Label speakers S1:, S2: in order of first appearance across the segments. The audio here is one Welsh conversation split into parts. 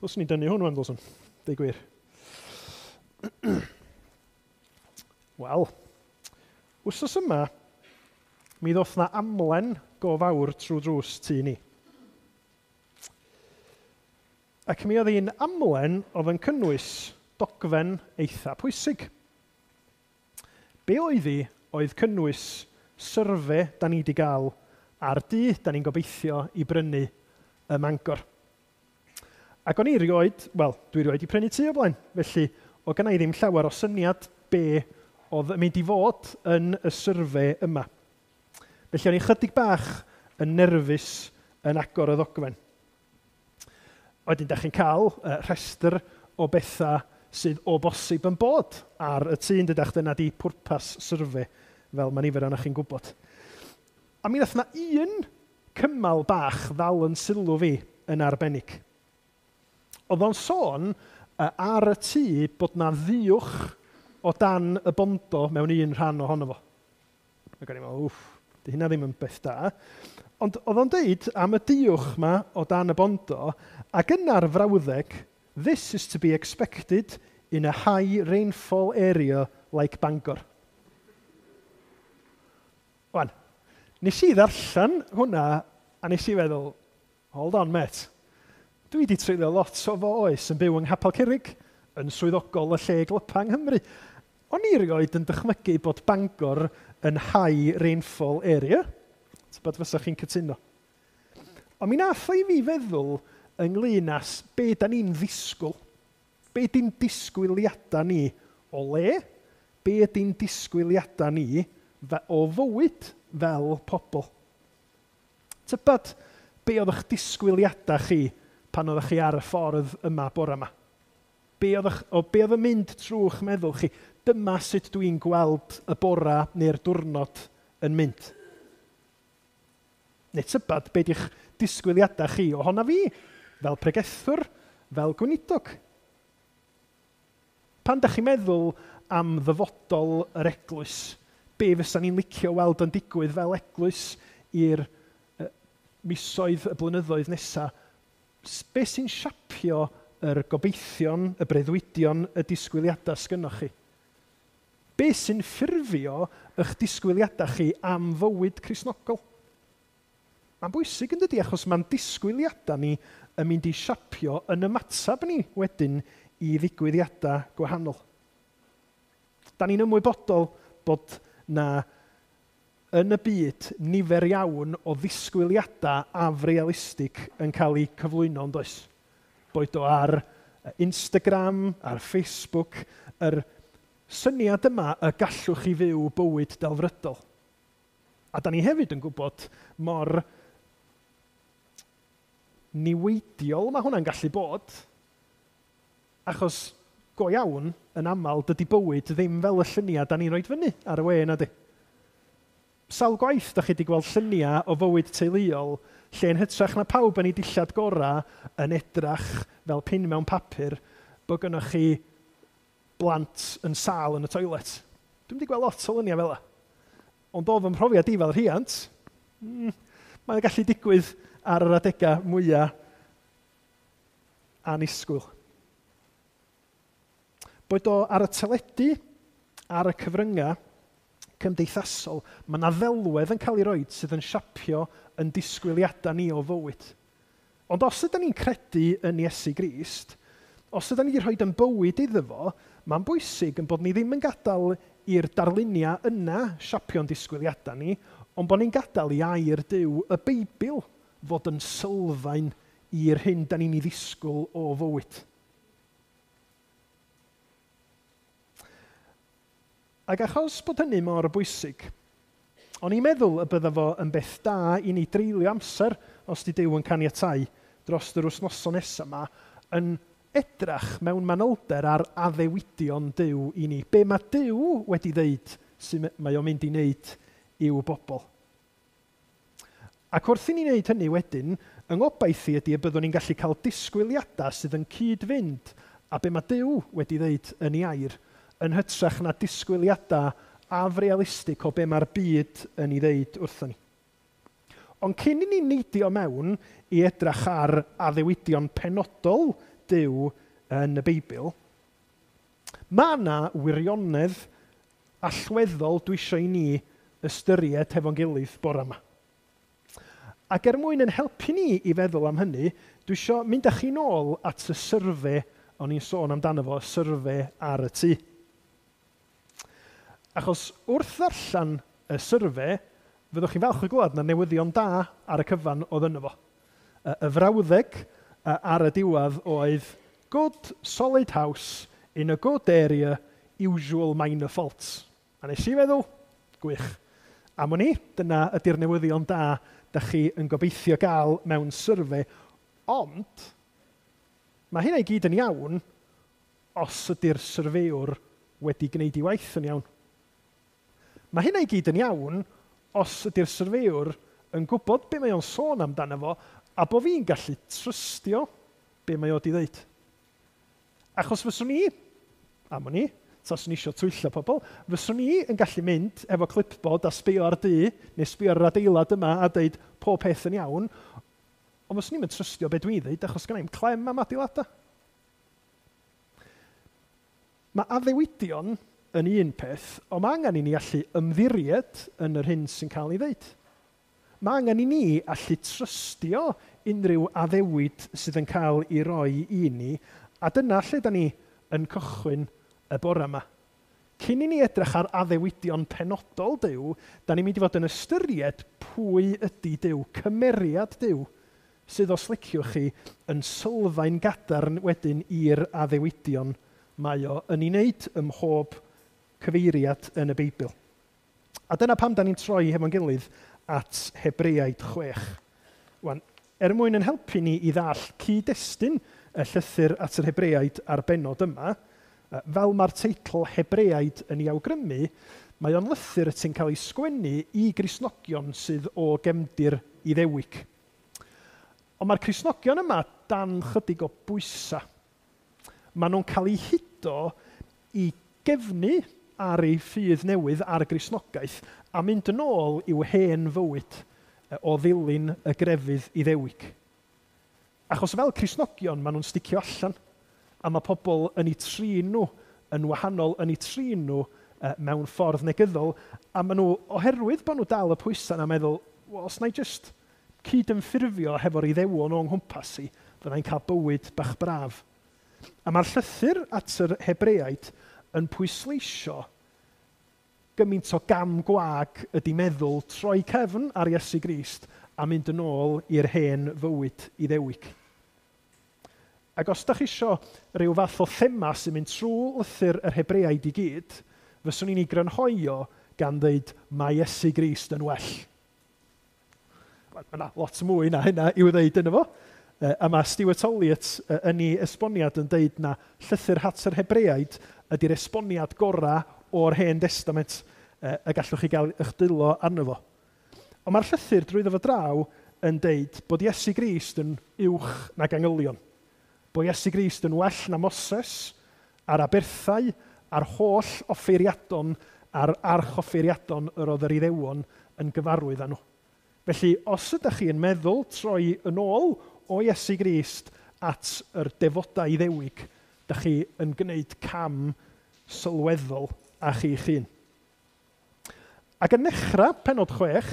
S1: Dylswn i dynnu hwn wan, dylswn. Deud gwir. Wel, wsos yma, mi ddoth na amlen go fawr trwy drws tŷ ni. Ac mi oedd hi'n amlen oedd yn cynnwys dogfen eitha pwysig. Be oedd hi oedd cynnwys syrfe da ni wedi gael ar dŷ da ni'n gobeithio i brynu ym Mangor. Ac o'n i rioed, wel, dwi rioed i prynu tŷ o blaen, felly o gynna i ddim llawer o syniad be oedd yn mynd i fod yn y syrfe yma. Felly o'n i chydig bach yn nerfus yn agor y ddogfen. Wedyn, da chi'n cael rhestr o bethau sydd o bosib yn bod ar y tŷ, yn dydach, dyna di pwrpas syrfe, fel mae nifer ohonoch chi'n gwybod. A mi nath na un cymal bach ddal yn sylw fi yn arbennig. Oedd o'n sôn ar y tŷ bod na ddiwch o dan y bondo mewn un rhan ohono fo. Ac o'n i'n meddwl, wff, di hynna ddim yn beth da. Ond oedd o'n deud am y diwch ma o dan y bondo, ac yna'r frawddeg, this is to be expected in a high rainfall area like Bangor. Wan, nes i ddarllen hwnna a nes i feddwl, hold on mate, dwi wedi treulio lot o fy oes yn byw yng Nghapel Curig, yn swyddogol y lle glypa yng Nghymru. O'n i rioed yn dychmygu bod Bangor yn high rainfall area. Tybed fysa chi'n cytuno. Ond mi nath o i fi feddwl ynglyn â be da ni'n ddisgwyl. Be di'n disgwyliadau ni o le? Be ydi'n disgwyliadau ni o fywyd fel pobl? Tybed be oedd eich disgwyliadau chi pan oeddech chi ar y ffordd yma bore yma? Be oedd yn mynd trwy'ch meddwl chi? Dyma sut dwi'n gweld y bora neu'r diwrnod yn mynd. Neu tybed be di'ch disgwyliadau chi ohona fi, fel pregethwr, fel gweinidog. Pan dach chi'n meddwl am ddyfodol yr eglwys, be fysa ni'n licio weld yn digwydd fel eglwys i'r misoedd, y blynyddoedd nesaf, be sy'n siapio yr gobeithion, y breuddwydion, y disgwyliadau sgynnoch chi? Be sy'n ffurfio eich disgwyliadau chi am fywyd Cristnogol? Mae'n bwysig yn dydi, achos mae'n disgwyliadau ni yn mynd i siapio yn ymateb ni wedyn i ddigwyddiadau gwahanol. Da ni'n ymwybodol bod na yn y byd nifer iawn o ddisgwyliadau afrealistig yn cael eu cyflwyno, yn does? Boed o ar Instagram, ar Facebook, yr syniad yma y gallwch chi fyw bywyd delfrydol. A da ni hefyd yn gwybod mor niweidiol mae hwnna'n gallu bod, achos go iawn, yn aml, dydy bywyd ddim fel y lluniau da ni'n rhoi fyny ar y we, na di. Sawl gwaith da chi wedi gweld lluniau o fywyd teuluol lle yn hytrach na pawb yn ei dillad gorau yn edrach fel pin mewn papur bod gynnoch chi blant yn sâl yn y toilet. Dwi'm wedi gweld lot o luniau fel 'na. Ond o fy mhrofiad i fel rhiant, mae'n gallu digwydd ar yr adegau mwyaf annisgwyl. Boed o ar y teledu, ar y cyfryngau cymdeithasol, mae yna ddelwedd yn cael ei roed sydd yn siapio yn disgwyliadau ni o fywyd. Ond os ydyn ni'n credu yn Iesu Grist, os ydyn ni wedi rhoi yn bywyd iddo fo, mae'n bwysig yn bod ni ddim yn gadael i'r darluniau yna siapio'n disgwyliadau ni, ond bod ni'n gadael i air Duw, y Beibl, fod yn sylfaen i'r hyn da ni'n ei ddisgwyl o fywyd. Ac achos bod hynny mor bwysig, o'n i'n meddwl y bydda fo yn beth da i ni dreulio amser, os di Duw yn caniatáu, dros yr wythnosau nesaf yma, yn edrach mewn manylder ar addewidion Duw i ni. Be mae Duw wedi ddeud sy'n mae o'n mynd i wneud i'w bobl. Ac wrth i ni wneud hynny wedyn, yng ngobaith i ydy y byddwn ni'n gallu cael disgwyliadau sydd yn cyd-fynd a be mae Duw wedi ddeud yn ei air, yn hytrach na disgwyliadau afrealistig o be mae'r byd yn ei ddeud wrthon ni. Ond cyn i ni neidio mewn i edrach ar addewidion penodol Duw yn y Beibl, mae yna wirionedd allweddol dwi eisiau i ni ystyried hefo'n gilydd bore yma. Ac er mwyn yn helpu ni i feddwl am hynny, dwi eisiau mynd â chi nôl at y syrfe o'n i'n sôn amdano fo, y syrfe ar y tŷ. Achos wrth ddarllen y syrfe, fyddwch chi'n falch o glywed na newyddion da ar y cyfan oedd yno fo. Y frawddeg ar y diwedd oedd "Good solid house in a good area, usual minor faults." A nes i feddwl, gwych. Am wn i, dyna ydy'r newyddion da da chi yn gobeithio gael mewn syrfe, ond mae hynna i gyd yn iawn os ydy'r syrfewr wedi gwneud ei waith yn iawn. Mae hynna i gyd yn iawn os ydy'r syrfewr yn gwybod be mae o'n sôn amdano fo a bod fi'n gallu trystio be mae o wedi ddeud. Achos fyswn i, am wn i, taswn i eisiau twyllo pobl, fyswn i yn gallu mynd efo clipboard a sbio ar dŷ, neu sbio ar yr adeilad yma a dweud pob peth yn iawn, ond fyswn i'n trystio be dwi'n dweud achos gynna i'm clem am adeiladau. Mae addewidion yn un peth, ond mae angen i ni allu ymddiried yn yr hyn sy'n cael ei ddeud. Mae angen i ni allu trystio unrhyw addewid sydd yn cael ei roi i ni, a dyna lle da ni yn cychwyn y bore yma. Cyn i ni edrych ar addewidion penodol Duw, da ni'n mynd i fod yn ystyried pwy ydy Duw, cymeriad Duw, sydd os liciwch chi yn sylfaen gadarn wedyn i'r addewidion mae o yn ei wneud ym mhob cyfeiriad yn y Beibl. A dyna pam da ni'n troi hefo'n gilydd at Hebreaid 6. Wan, er mwyn yn helpu ni i ddall cyd-destun y llythyr at yr Hebreaid a'r bennod yma, fel mae'r teitl Hebreaid yn ei awgrymu, mae o'n lythyr sy'n cael ei sgwennu i Gristnogion sydd o gefndir Iddewig. Ond mae'r Cristnogion yma dan chydig o bwysau. Maen nhw'n cael eu hudo i gefnu ar eu ffydd newydd ar y Gristnogaeth a mynd yn ôl i'w hen fywyd o ddilyn y grefydd Iddewig. Achos fel Cristnogion, maen nhw'n sticio allan, a mae pobl yn eu trin nhw yn wahanol, yn eu trin nhw mewn ffordd negyddol, a maen nhw, oherwydd bod nhw dal y pwysau yna, meddwl, well, os na i jyst cydymffurfio hefo'r Iddewon o'n nghwmpas i, fyddai'n cael bywyd bach braf. A mae'r llythyr at yr Hebreaid yn pwysleisio gymaint o gam gwag ydy meddwl troi cefn ar Iesu Grist a mynd yn ôl i'r hen fywyd Iddewig. Ac os da chi isio rhyw fath o thema sy'n mynd trwy lythyr yr Hebreaid i gyd, fyswn i'n ei grynhoi o gan ddeud mae Iesu Grist yn well. Mae yna lot mwy na hynna i'w ddeud yno fo. A mae Stuart Olyott yn ei esboniad yn deud na llythyr at yr Hebreaid ydy'r esboniad gorau o'r Hen Testament y gallwch chi gael eich dwylo arno fo. Ond mae'r llythyr drwyddo fo draw yn deud bod Iesu Grist yn uwch nag angylion. Bod Iesu Grist yn well na Moses, a'r aberthau, a'r holl offeiriadon, a'r archoffeiriadon yr oedd yr Iddewon yn gyfarwydd â nhw. Felly, os ydych chi yn meddwl troi yn ôl o Iesu Grist at yr defodau Iddewig, ydych chi yn gwneud cam sylweddol â chi'ch hun. Ac yn dechrau pennod 6,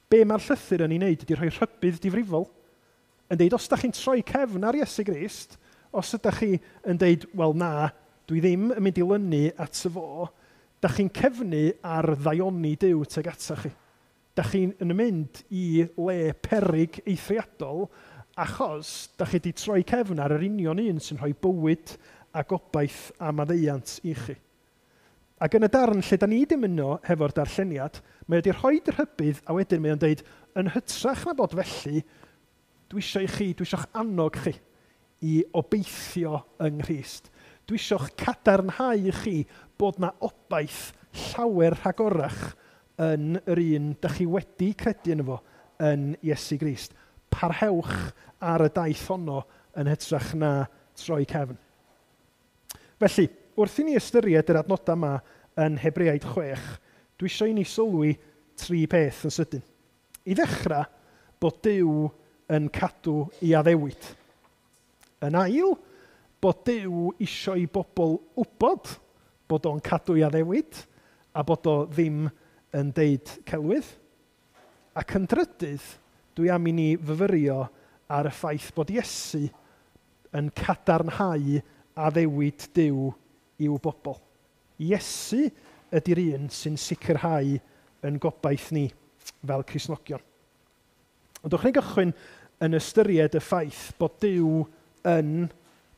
S1: be mae'r llythyr yn ei wneud ydy rhoi rhybudd difrifol. Yn deud, os ydych chi'n troi cefn ar Iesu Grist, os ydych chi yn deud, wel na, dwi ddim yn mynd i lynu at y fo, dych chi'n cefnu ar ddaioni Duw tuag atach chi. Dych chi'n yn mynd i le peryg eithriadol achos dych chi wedi troi cefn ar yr union un sy'n rhoi bywyd a gobaith a maddeuant i chi. Ac yn y darn lle da ni ddim yno hefo'r darlleniad, mae wedi rhoi rhybudd a wedyn mae o'n deud, yn hytrach na bod felly, dwi eisiau i chi, dwi eisiau'ch annog chi i obeithio yng Nghrist. Dwi eisiau'ch cadarnhau i chi bod na obaith llawer rhagorach yn yr un dych chi wedi credu yno fo yn Iesu Grist. Parhewch ar y daith honno yn hytrach na troi cefn. Felly, wrth i ni ystyried yr adnodau yma yn Hebreaid 6, dwi eisiau i ni sylwi tri peth yn sydyn. I ddechrau, bod Duw yn cadw ei addewid. Yn ail, bod Duw isio i bobl wybod bod o'n cadw ei addewid a bod o ddim yn deud celwydd. Ac yn drydydd, dwi am i ni fyfyrio ar y ffaith bod Iesu yn cadarnhau addewid Duw i'w bobl. Iesu ydy'r un sy'n sicrhau yn gobaith ni fel Cristnogion. Ond dewch ni gychwyn yn ystyried y ffaith bod Duw yn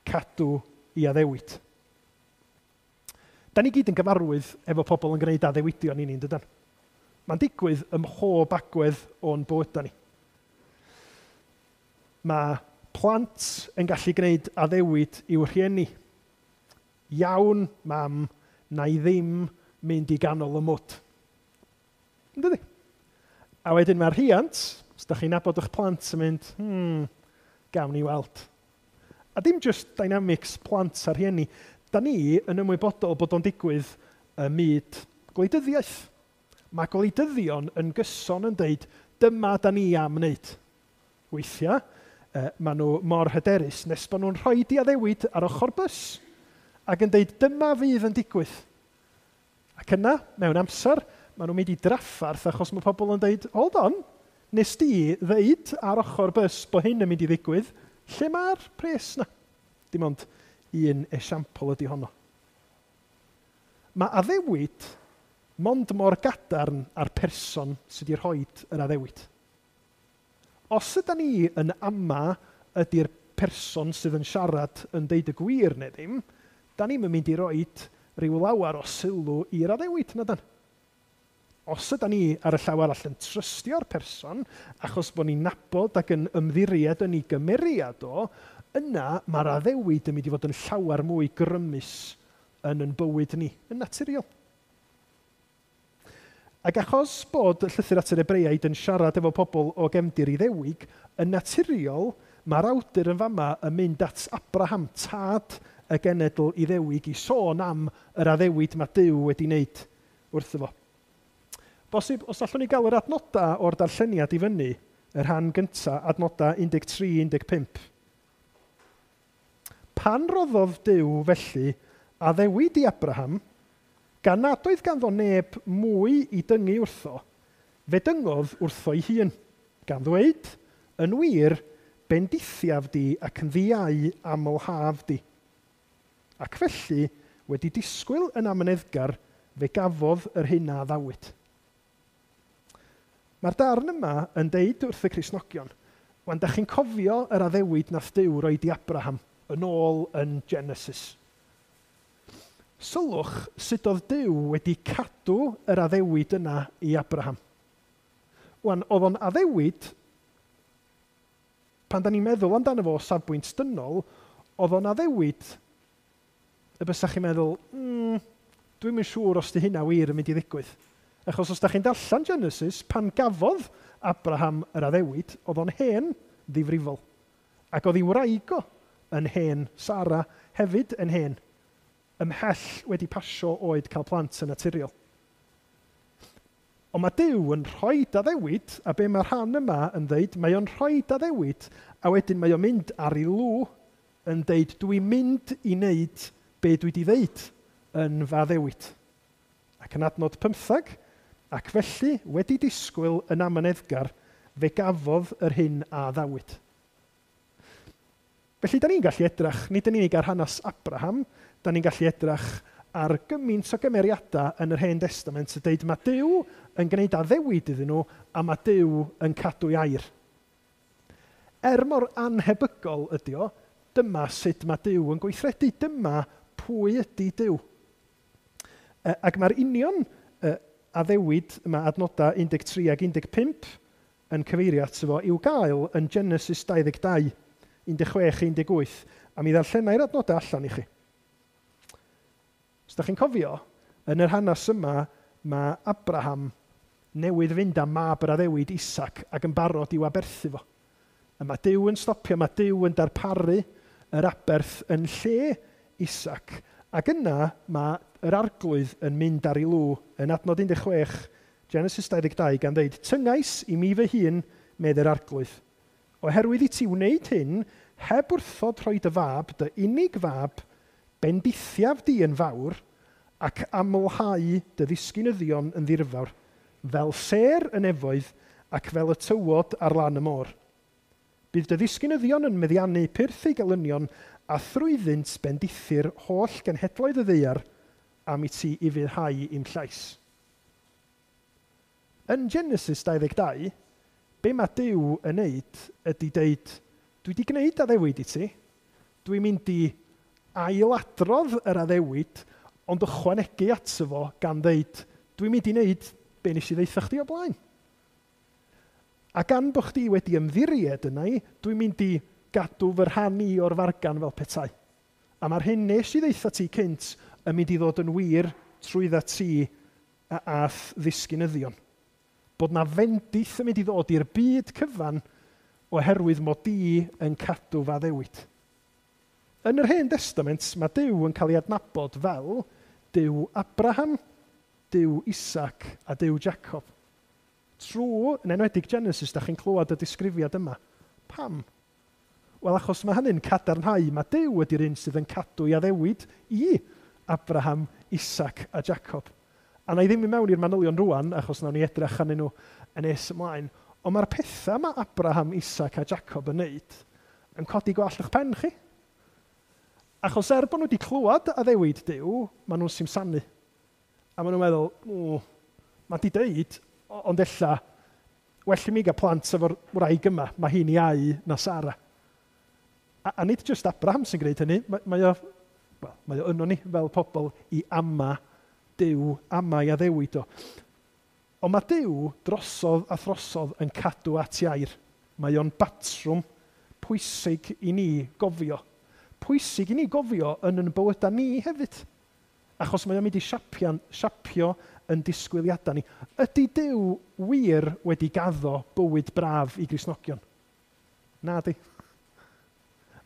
S1: cadw ei addewid. Da ni gyd yn gyfarwydd efo pobl yn gwneud addewidion i ni, yn dydan? Mae'n digwydd ym mhob agwedd o'n bywydau ni. Mae plant yn gallu gwneud addewid i'w rhieni. Iawn, mam, na i ddim mynd i ganol y mwd. Yn dydi? A wedyn mae'r rhiant, os da chi'n nabod eich plant, yn mynd, gawn ni weld. A dim just dynamics plant a rhieni. Da ni yn ymwybodol bod o'n digwydd ym myd gwleidyddiaeth. Mae gwleidyddion yn gyson yn deud, dyma da ni am wneud. Weithiau, maen nhw mor hyderus nes bod nhw'n rhoi di addewid ar ochr bws ac yn deud, dyma fydd yn digwydd. Ac yna, mewn amser, maen nhw'n mynd i draffarth achos mae pobl yn deud, hold on, nes di ddeud ar ochr bws bod hyn yn mynd i ddigwydd, lle mae'r pres na? Dim ond un esiampl ydy honno. Mae addewid mond mor gadarn â'r person sydd wedi rhoi yr addewid. Os ydy ni yn ama ydy'r person sydd yn siarad yn deud y gwir neu ddim, da ni'n mynd i roed rhyw lawer o sylw i'r addewid, na dan? Os ydy ni ar y llaw arall yn trystio'r person, achos bod ni'n nabod ac yn ymddiried yn ei gymeriad o, yna mae'r addewid yn mynd i fod yn llawer mwy grymus yn yn bywyd ni, yn naturiol. Ac achos bod y llythyr at yr Hebreaid yn siarad efo pobl o gefndir Iddewig, yn naturiol mae'r awdur yn fama yn mynd at Abraham, tad y genedl Iddewig, i sôn am yr addewid mae Duw wedi wneud wrtho fo. Bosib, os allwn ni gael yr adnodau o'r darlleniad i fyny, y rhan gyntaf, adnodau 13-15. Pan roddodd Duw felly addewid i Abraham, gan nad oedd ganddo neb mwy i dyngu wrtho, fe dyngodd wrtho ei hun, gan ddweud, yn wir, bendithiaf di ac yn ddiau amlhaf di. Ac felly, wedi disgwyl yn amyneddgar, fe gafodd yr hyn a addawyd. Mae'r darn yma yn deud wrth y Cristnogion, wan, da chi'n cofio yr addewid nath Duw roed i Abraham yn ôl yn Genesis. Sylwch sut oedd Duw wedi cadw yr addewid yna i Abraham. Wan, oedd o'n addewid, pan da ni'n meddwl amdano fo o safbwynt dynol, oedd o'n addewid y bysa chi'n meddwl, dwi'm yn siŵr os di hynna wir yn mynd i ddigwydd. Achos os da chi'n darllen Genesis, pan gafodd Abraham yr addewid, oedd o'n hen ddifrifol. Ac oedd ei wraig o yn hen, Sara hefyd yn hen, ymhell wedi pasio oed cael plant yn naturiol. Ond mae Duw yn rhoi addewid, a be mae'r rhan yma yn dweud, mae o'n rhoi addewid, a wedyn mae o'n mynd ar ei lw yn deud, dwi'n mynd i wneud be dwi wedi ddeud yn fy addewid. Ac yn adnod 15, ac felly, wedi disgwyl yn amyneddgar, fe gafodd yr hyn a addawyd. Felly, da ni'n gallu edrach, nid yn unig ar hanes Abraham, da ni'n gallu edrach ar gymaint o gymeriadau yn yr Hen Testament yn deud mae Duw yn gwneud addewid iddyn nhw a mae Duw yn cadw ei air. Er mor anhebygol ydy o, dyma sut mae Duw yn gweithredu, dyma pwy ydy Duw. Ac mae'r union addewid yma adnodau 13 ac 15 yn cyfeirio ato fo i'w gael yn Genesis 22, 16, 18, a mi ddarllenai'r adnodau allan i chi. Os da chi'n cofio, yn yr hanes yma, mae Abraham newydd fynd â mab yr addewid Isaac ac yn barod i'w aberthu fo. A mae Duw yn stopio, mae Duw yn darparu yr aberth yn lle Isaac. Ac yna mae yr arglwydd yn mynd ar ei lw yn adnod 16, Genesis 22, gan ddeud, tyngais i mi fy hun, medd yr arglwydd. Oherwydd i ti wneud hyn, heb wrthod rhoi dy fab, dy unig fab, bendithiaf di yn fawr, ac amlhau dy ddisgynyddion yn ddirfawr, fel sêr y nefoedd ac fel y tywod ar lan y môr. Bydd dy ddisgynyddion yn meddiannu pyrth eu gelynion a thrwyddynt bendithir holl genhedloedd y ddaear am i ti ufuddhau i'm llais. Yn Genesis 22, be mae Duw yn neud ydy deud, dwi wedi gwneud addewid i ti, dwi'n mynd i ailadrodd yr addewid, ond ychwanegu ato fo gan ddeud, dwi'n mynd i wneud be nes i ddeutha chdi o blaen. A gan bod chdi wedi ymddiried yna i, dwi'n mynd i gadw fy rhan i o'r fargan fel petai. A mae'r hyn nes i ddeutha ti cynt yn mynd i ddod yn wir trwydda ti a'th ddisgynyddion. Bod na fendith yn mynd i ddod i'r byd cyfan oherwydd mod i yn cadw fy addewid. Yn yr Hen Testament, mae Duw yn cael ei adnabod fel Duw Abraham, Duw Isaac a Duw Jacob. Trwy, yn enwedig Genesis, da chi'n clywed y disgrifiad yma. Pam? Wel, achos mae hynny'n cadarnhau, mae Duw ydy'r un sydd yn cadw ei addewid i Abraham, Isaac a Jacob. A na i ddim i mewn i'r manylion rwan, achos nawn ni edrych arnyn nhw yn nes ymlaen. Ond mae'r pethau mae Abraham, Isaac a Jacob yn neud yn codi gwallt eich pen chi. Achos er bod nhw wedi clywed addewid Duw, maen nhw'n simsanu. A maen nhw'n meddwl, mae di deud, ond ella, well i mi gael plant efo'r wraig yma, mae hi'n iau na Sara. A nid jyst Abraham sy'n gwneud hynny, mae o yno ni fel pobl i ama Duw, ama i addewid o. Ond mae Duw drosodd a throsodd yn cadw at iair. Mae o'n batrwm pwysig i ni gofio. Pwysig i ni gofio yn yn bywydau ni hefyd. Achos mae o'n mynd i siapio yn disgwyliadau ni. Ydy Duw wir wedi gaddo bywyd braf i Gristnogion? Na di.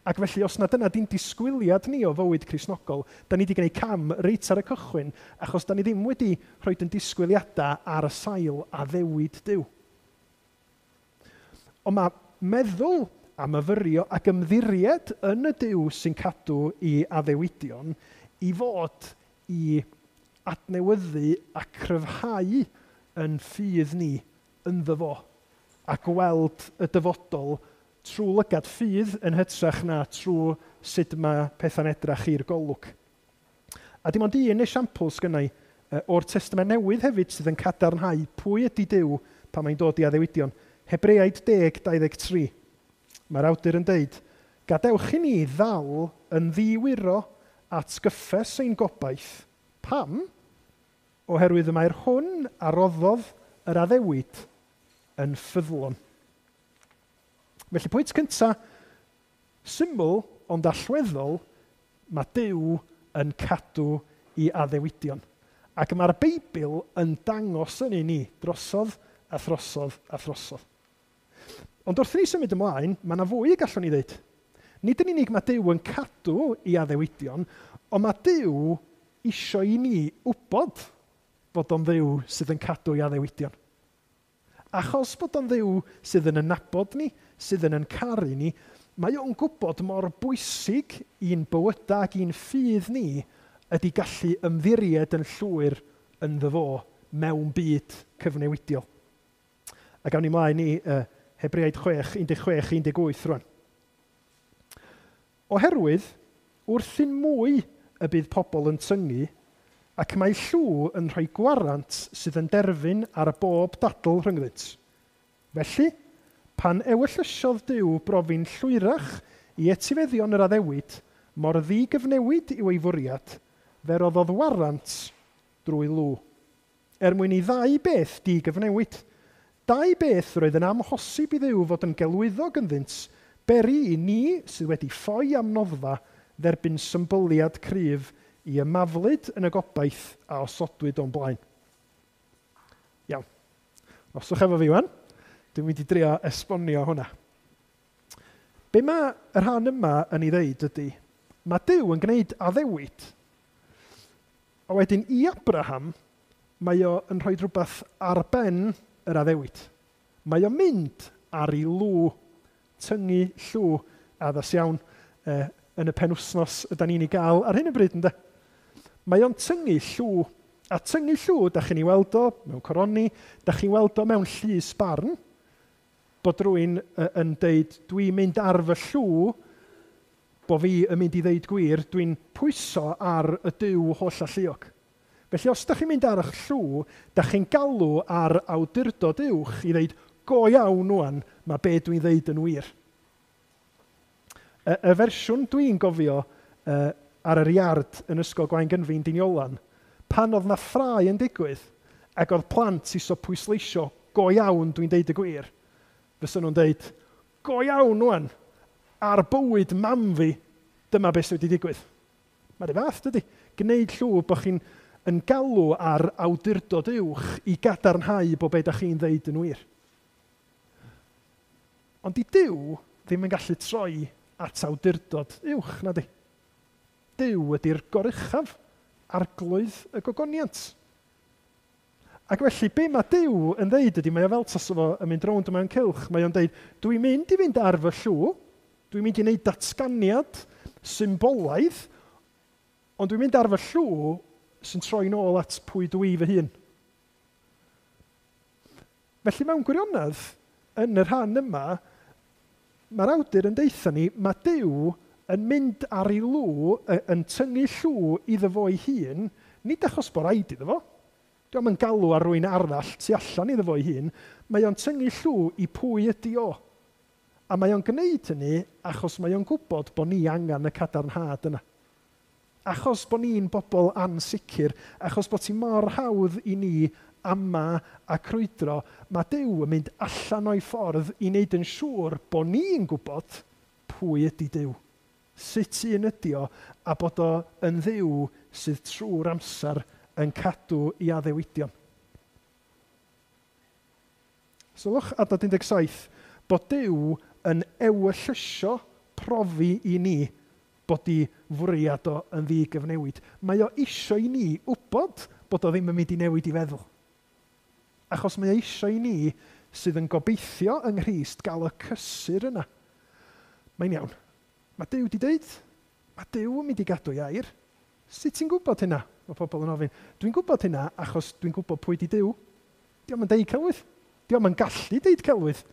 S1: Ac felly, os na dyna di'n disgwyliad ni o fywyd Cristnogol, da ni wedi gwneud cam reit ar y cychwyn, achos da ni ddim wedi rhoi yn disgwyliadau ar y sail addewid Duw. Ond mae meddwl a myfyrio ac ymddiried yn y Duw sy'n cadw i addewidion i fod i adnewyddu a cryfhau yn ffydd ni ynddo fo a gweld y dyfodol trwy lygad ffydd yn hytrach na trwy sut mae pethau'n edrach i'r golwg. A dim ond un esiampl sgynna i o'r Testament Newydd hefyd sydd yn cadarnhau pwy ydy Duw pan mae'n dod i addewidion. Hebreaid 10:23. Mae'r awdur yn deud, gadewch i ni ddal yn ddiwyro at gyffes ein gobaith. Pam? Oherwydd y mae'r hwn a roddodd yr addewid yn ffyddlon. Felly pwynt cyntaf, syml ond allweddol, mae Duw yn cadw i addewidion. Ac mae'r Beibl yn dangos yn i ni drosodd a throsodd a throsodd. Ond wrth i ni symud ymlaen, mae yna fwy y gallwn ni ddeud. Nid yn unig mae Duw yn cadw i addewidion, ond mae Duw isio i ni wybod bod o'n Dduw sydd yn cadw i addewidion. Achos bod o'n Dduw sydd yn nabod ni, sydd yn caru ni, mae o'n gwybod mor bwysig i'n bywydau ac i'n ffydd ni ydy gallu ymddiried yn llwyr ynddo fo mewn byd cyfnewidiol. A gawn ni mlaen i Hebreaid 6, 16, 18 rwan. Oherwydd, wrthyn mwy y bydd pobl yn tyngu, ac mae llw yn rhoi gwarant sydd yn derfyn ar y bob dadl rhyngddynt. Felly, pan ewyllysiodd Duw brofi'n llwyrach i etifeddion yr addewid, mor ddigyfnewid yw ei fwriad, fe roddodd warant drwy lw. Er mwyn i ddau beth digyfnewid, dau beth roedd yn amhosib i Dduw fod yn gelwyddog ynddynt, beri i ni sydd wedi ffoi am noddfa dderbyn symbyliad cryf i ymaflyd yn y gobaith a osodwyd o'n blaen. Iawn. Oswch efo fi wan. Dwi'n mynd i drio esbonio hwnna. Be mae y rhan yma yn ei ddeud ydy, mae Duw yn gwneud addewid, a wedyn i Abraham, mae o yn rhoi rhywbeth ar ben yr addewid. Mae o'n mynd ar ei lw Tyngu llw addas iawn yn y penwsnos ydan ni'n ei gael ar hyn o bryd, ynde? Mae o'n tyngu llw. A tyngu llw, da chi'n ei weld o mewn coroni, da chi'n weld o mewn llys barn, bod rhywun yn deud, dwi'n mynd ar fy llw, bo fi yn mynd i ddeud gwir, dwi'n pwyso ar y Duw holl alluog. Felly os da chi'n mynd ar eich llw, da chi'n galw ar awdurdod uwch i ddeud, go iawn wan, mae be dwi'n ddeud yn wir. Y fersiwn dwi'n gofio ar yr iard yn Ysgol Gwaun Gynfyn Deiniolen, pan oedd na ffrae yn digwydd, ac oedd plant isio pwysleisio, go iawn dwi'n deud y gwir, fysa nhw'n deud, go iawn wan, ar bywyd mam fi, dyma beth sydd wedi digwydd. Mae'r un fath, dydy. Gwneud llw bod chi'n yn galw ar awdurdod uwch i gadarnhau bod be da chi'n ddeud yn wir. Ond di Duw ddim yn gallu troi at awdurdod uwch, na di. Duw ydy'r goruchaf, arglwydd y gogoniant. Ac felly, be mae Duw yn ddeud ydy, mae o fel tasa fo yn mynd rownd mewn cylch, mae o'n deud, dwi'n mynd i fynd ar fy llw, dwi'n mynd i wneud datganiad symbolaidd, ond dwi'n mynd ar fy llw sy'n troi nôl at pwy dwi fy hun. Felly mewn gwirionedd, yn y rhan yma, mae'r awdur yn deutha ni, mae Duw yn mynd ar ei lw, yn tyngu llw iddo fo'i hun, nid achos bod rhaid iddo fo. Dio'm yn galw ar rywun arall tu allan iddo fo'i hun, mae o'n tyngu llw i pwy ydi o. A mae o'n gwneud hynny achos mae o'n gwybod bod ni angen y cadarnhad yna. Achos bod ni'n bobl ansicr, achos bod ti mor hawdd i ni ama a crwydro, mae Duw yn mynd allan o'i ffordd i wneud yn siŵr bod ni'n gwybod pwy ydy Duw. Sut un ydy o, a bod o yn Dduw sydd trwy'r amser yn cadw i addewidion. Sylwch adnod 17, bod Duw yn ewyllysio profi i ni bod i fwriad o yn ddigyfnewid. Mae o isio i ni wybod bod o ddim yn mynd i newid i feddwl. Achos mae o isio i ni sydd yn gobeithio yng Nghrist gael y cysur yna. Mae'n iawn. Mae Duw di deud, mae Duw yn mynd i gadw ei air. Sut ti'n gwybod hynna? Mae pobl yn ofyn. Dwi'n gwybod hynna achos dwi'n gwybod pwy di Duw. Dio'm yn deud celwydd. Dio'm yn gallu deud celwydd.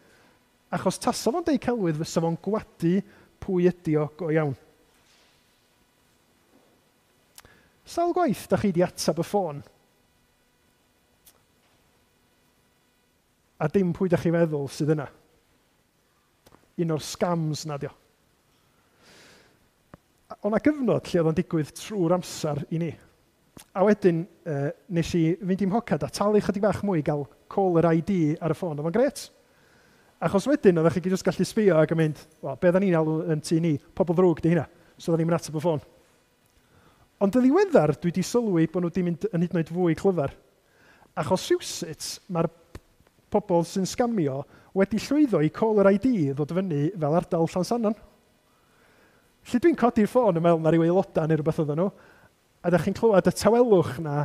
S1: Achos tasa fo'n deud celwydd, fysa fo'n gwadu pwy ydi o go iawn. Sawl gwaith da chi di atab y ffôn? A dim pwy da chi feddwl sydd yna. Un o'r scams na dio. O'na gyfnod lle oedd o'n digwydd trwy'r amser i ni. A wedyn nes i fynd i'm mhocad a talu chydig bach mwy i gael caller ID ar y ffôn. Oedd o'n gret. Achos wedyn oeddech chi jyst gallu sbio ac yn mynd, wel, be oedden ni'n alw yn tŷ ni, pobl ddrwg di hynna. So oedden ni'n mynd ateb y ffôn. Ond yn ddiweddar, dwi wedi sylwi bod nhw wedi mynd yn hyd yn oed fwy clyfar. Achos rhywsut, mae'r pobl sy'n sgamio wedi llwyddo i caller ID ddod fyny fel ardal Llansannan. Lle dwi'n codi'r ffôn yn meddwl na ryw aelodau neu rhywbeth oedden nhw, a da chi'n clywed y tawelwch na,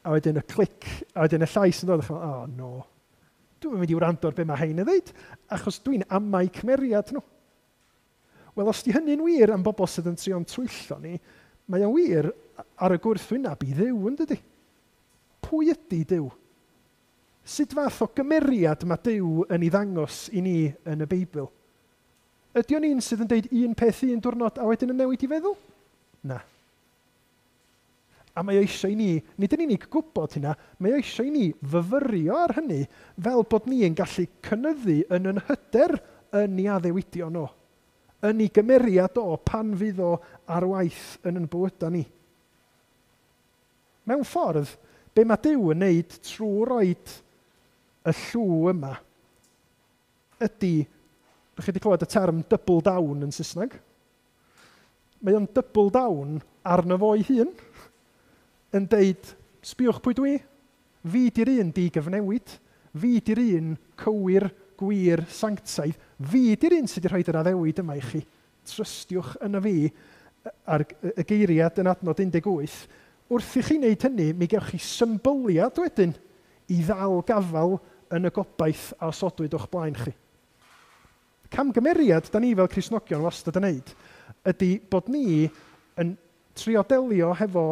S1: a wedyn y clic, a wedyn y llais yn dod, a chi'n meddwl, oh no, dwi'n mynd i wrando ar be mae hein yn dweud, achos dwi'n amau cymeriad nhw. Wel, os di hynny'n wir am bobl sydd yn trio'n twyllo ni, mae o'n wir ar y gwrthwyneb i Dduw, yn dydi? Pwy ydy Duw? Sut fath o gymeriad mae Duw yn ei ddangos i ni yn y Beibl? Ydy o'n un sydd yn deud un peth un diwrnod a wedyn yn newid i feddwl? Na. A mae o eisiau i ni, nid yn unig gwybod hynna, mae o eisiau i ni fyfyrio ar hynny fel bod ni yn gallu cynyddu yn yn hyder yn ei addewidion o, yn ei gymeriad o pan fydd o ar waith yn yn bywydau ni. Mewn ffordd, be mae Duw yn neud trwy roed y llw yma ydy, ydych chi wedi clywed y term double down yn Saesneg? Mae o'n double down arno fo'i hun, yn deud, sbiwch pwy dwi, fi di'r un digyfnewid, fi di'r un cywir, gwir, sanctaidd, fi di'r un sydd wedi rhoi yr addewid yma i chi. Trystiwch yna fi, ar y geiriad yn adnod 18, wrth i chi wneud hynny, mi gewch chi symbyliad wedyn i ddal gafal yn y gobaith a osodwyd o'ch blaen chi. Camgymeriad da ni fel Cristnogion wastad yn neud ydy bod ni yn trio delio hefo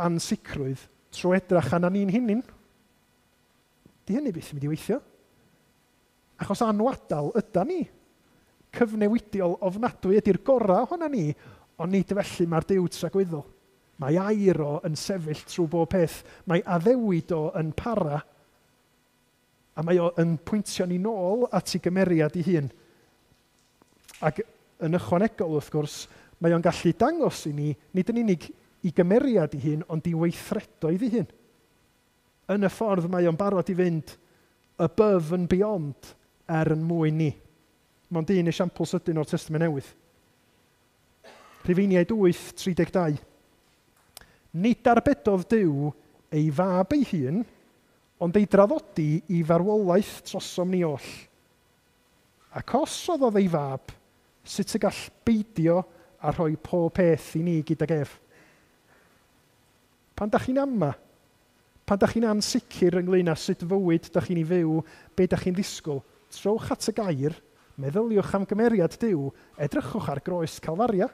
S1: ansicrwydd trwy edrach arna ni'n hunain. Di hynny byth yn mynd i weithio. Achos anwadal yda ni. Cyfnewidiol ofnadwy ydy'r gorau ohona ni, ond nid felly mae'r Duw tragwyddol. Mae air o yn sefyll trwy bob peth. Mae addewid o yn para. A mae o yn pwyntio ni nôl at ei gymeriad ei hun. Ac yn ychwanegol, wrth gwrs, mae o'n gallu dangos i ni, nid yn unig i gymeriad ei hun, ond i weithredoedd ei hun. Yn y ffordd mae o'n barod i fynd above and beyond er yn mwyn ni. Mond un esiampl sydyn o'r Testament Newydd. Rhufeiniaid 8:32. Nid arbedodd Duw ei fab ei hun, ond ei draddodi i farwolaeth trosom ni oll. Ac os roddodd ei fab, sut y gall beidio a rhoi pob peth i ni gydag ef? Pan da chi'n ama, pan da chi'n ansicr ynglyn â sut fywyd da chi'n ei fyw, be da chi'n ddisgwyl, trowch at y gair, meddyliwch am gymeriad Duw, edrychwch ar groes Calfaria.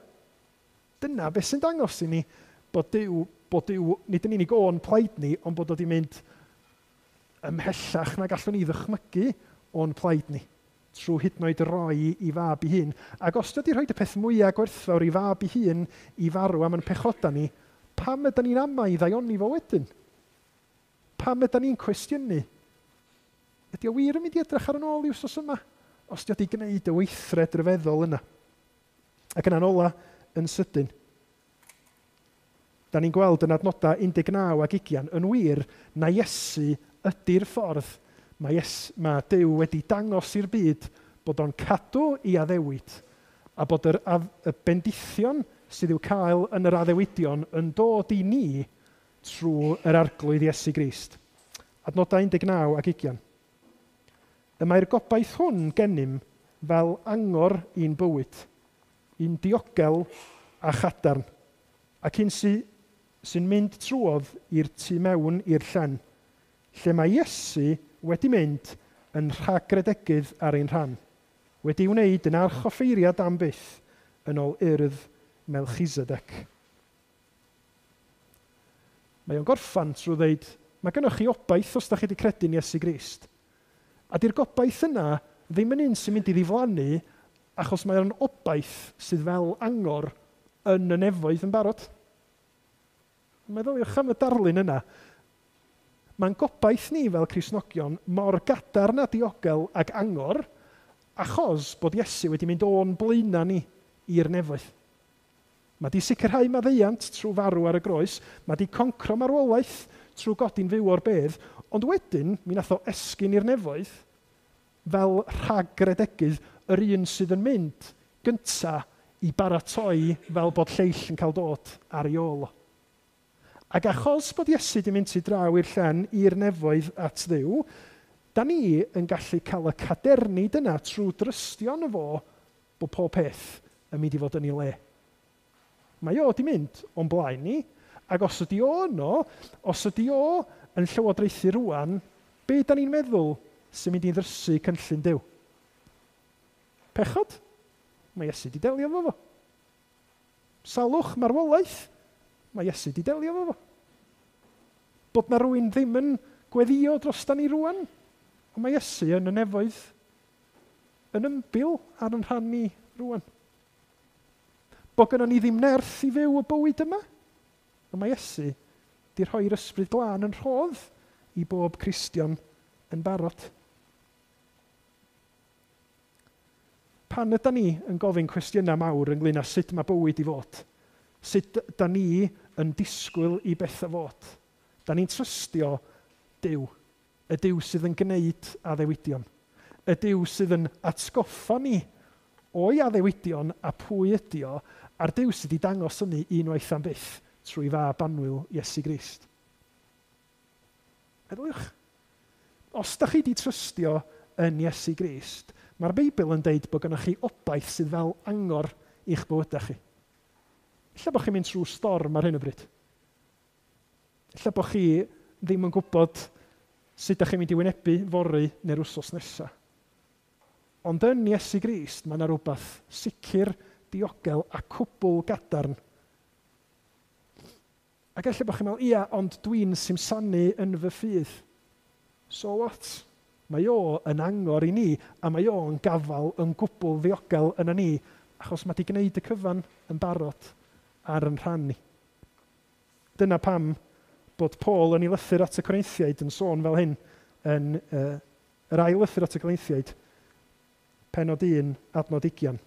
S1: Dyna beth sy'n dangos i ni bod Duw nid yn unig o'n plaid ni, ond bod o wedi mynd ymhellach na gallwn ni ddychmygu o'n plaid ni, trwy hyd yn oed roi i fab ei hun. Ac os dydy rhoi y peth mwyaf gwerthfawr i fab ei hun i farw am yn pechoda ni, pam ydyn ni'n amau i ddaioni fo wedyn? Pam ydyn ni'n cwestiynu? Ydy o wir yn mynd i edrych ar yn ôl i wsos yma? Os di o wedi gwneud y weithred ryfeddol yna. Ac yna'n ola, yn sydyn, da ni'n gweld yn adnodau 19 ac 20, yn wir na Iesu ydy'r ffordd. Mae Duw wedi dangos i'r byd bod o'n cadw i addewid a bod y bendithion sydd i'w cael yn yr addewidion yn dod i ni trwy yr Arglwydd Iesu Grist. Adnodau 19 ac 20. Y mae'r gobaith hwn gennym fel angor i'n bywyd, i'n diogel a chadarn, ac un sy'n mynd trwodd i'r tu mewn i'r llen, lle mae Iesu wedi mynd yn rhagredegydd ar ein rhan, wedi wneud yn archoffeiriad am byth yn ôl urdd Melchisedec. Mae o'n gorffan trwy ddeud, mae gennych chi obaith os da chi wedi credu'n Iesu Grist. A di'r gobaith yna ddim yn un sy'n mynd i ddiflannu, achos mae o'n obaith sydd fel angor yn y nefoedd yn barod. Meddyliwch am y darlun yna. Mae'n gobaith ni fel Cristnogion mor gadarn a diogel ag angor, achos bod Iesu wedi mynd o'n blaenau ni i'r nefoedd. Mae di sicrhau maddeuant trwy farw ar y groes, mae di concro marwolaeth trwy godi'n fyw o'r bedd, ond wedyn mi nath o esgyn i'r nefoedd fel rhagredegydd yr un sydd yn mynd gynta i baratoi fel bod lleill yn cael dod ar ei ôl o. Ac achos bod Iesu di mynd tu draw i'r llen i'r nefoedd at Dduw, da ni yn gallu cael y cadernid yna trwy drystio yno fo bod pob peth yn mynd i fod yn ei le. Mae o di mynd o'n blaen ni, ac os ydi o yno, os ydi o yn llywodraethu rwan, be da ni'n meddwl sy'n mynd i ddrysu cynllun Duw? Pechod? Mae Iesu di delio efo fo. Salwch, marwolaeth? Mae Iesu di delio efo fo. Bod na rywun ddim yn gweddio drosta ni rwan, ond mae Iesu yn y nefoedd yn ymbil ar yn rhan ni rwan. Bod gynnon ni ddim nerth i fyw y bywyd yma, ond mae Iesu di rhoi'r ysbryd glân yn rhodd i bob Cristion yn barod. Pan yda ni yn gofyn cwestiynau mawr ynglyn â sut mae bywyd i fod, sut da ni yn disgwyl i bethau fod, da ni'n trystio Duw, y Duw sydd yn gwneud addewidion, y Duw sydd yn atgoffa ni o'i addewidion a pwy ydi o, a'r Duw sydd wedi dangos hynny unwaith am byth trwy fab annwyl Iesu Grist. Meddyliwch, os da chi wedi trystio yn Iesu Grist, mae'r Beibl yn deud bod gennych chi obaith sydd fel angor i'ch bywydau chi. Ella bod chi'n mynd trwy storm ar hyn o bryd. Ella bod chi ddim yn gwybod sut ydych chi'n mynd i wynebu fory neu'r wsos nesaf. Ond yn Iesu Grist, mae yna rhywbeth sicr, diogel a cwbl gadarn. Ac ella bod chi'n meddwl, ia, ond dwi'n simsanu yn fy ffydd. So what? Mae o yn angor i ni, a mae o'n gafal yn gwbl ddiogel yna ni, achos mae 'di gwneud y cyfan yn barod ar yn rhan ni. Dyna pam bod Paul yn ei lythyr at y Corinthiaid yn sôn fel hyn, yn yr ail lythyr at y Corinthiaid, penod 1, adnod 20.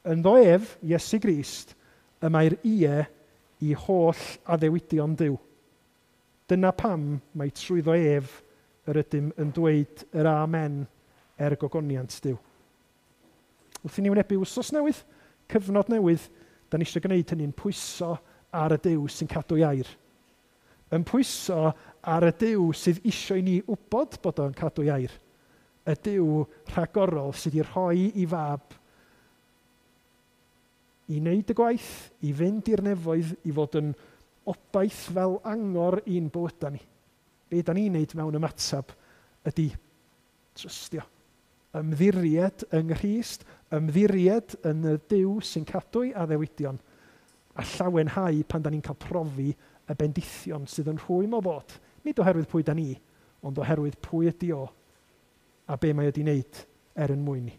S1: Ynddo ef, Iesu Grist, y mae'r ie i holl addewidion Duw. Dyna pam mae trwyddo ef yr ydym yn dweud yr amen er gogoniant Duw. Wrth i ni wynebu wsos newydd, cyfnod newydd, da ni eisiau gwneud hynny'n pwyso ar y Duw sy'n cadw air. Yn pwyso ar y Duw sydd eisiau i ni wybod bod o'n cadw air. Y Duw rhagorol sydd wedi rhoi i fab i wneud y gwaith, i fynd i'r nefoedd, i fod yn obaith fel angor i'n bywydau ni. Be da ni'n wneud mewn ymateb ydy trystio. Ymddiried yng Nghrist, ymddiried yn y Duw sy'n cadw ei addewidion, a llawenhau pan da ni'n cael profi y bendithion sydd yn rhwym o ddod. Nid oherwydd pwy da ni, ond oherwydd pwy ydy o a be mae wedi wneud er yn mwyn ni.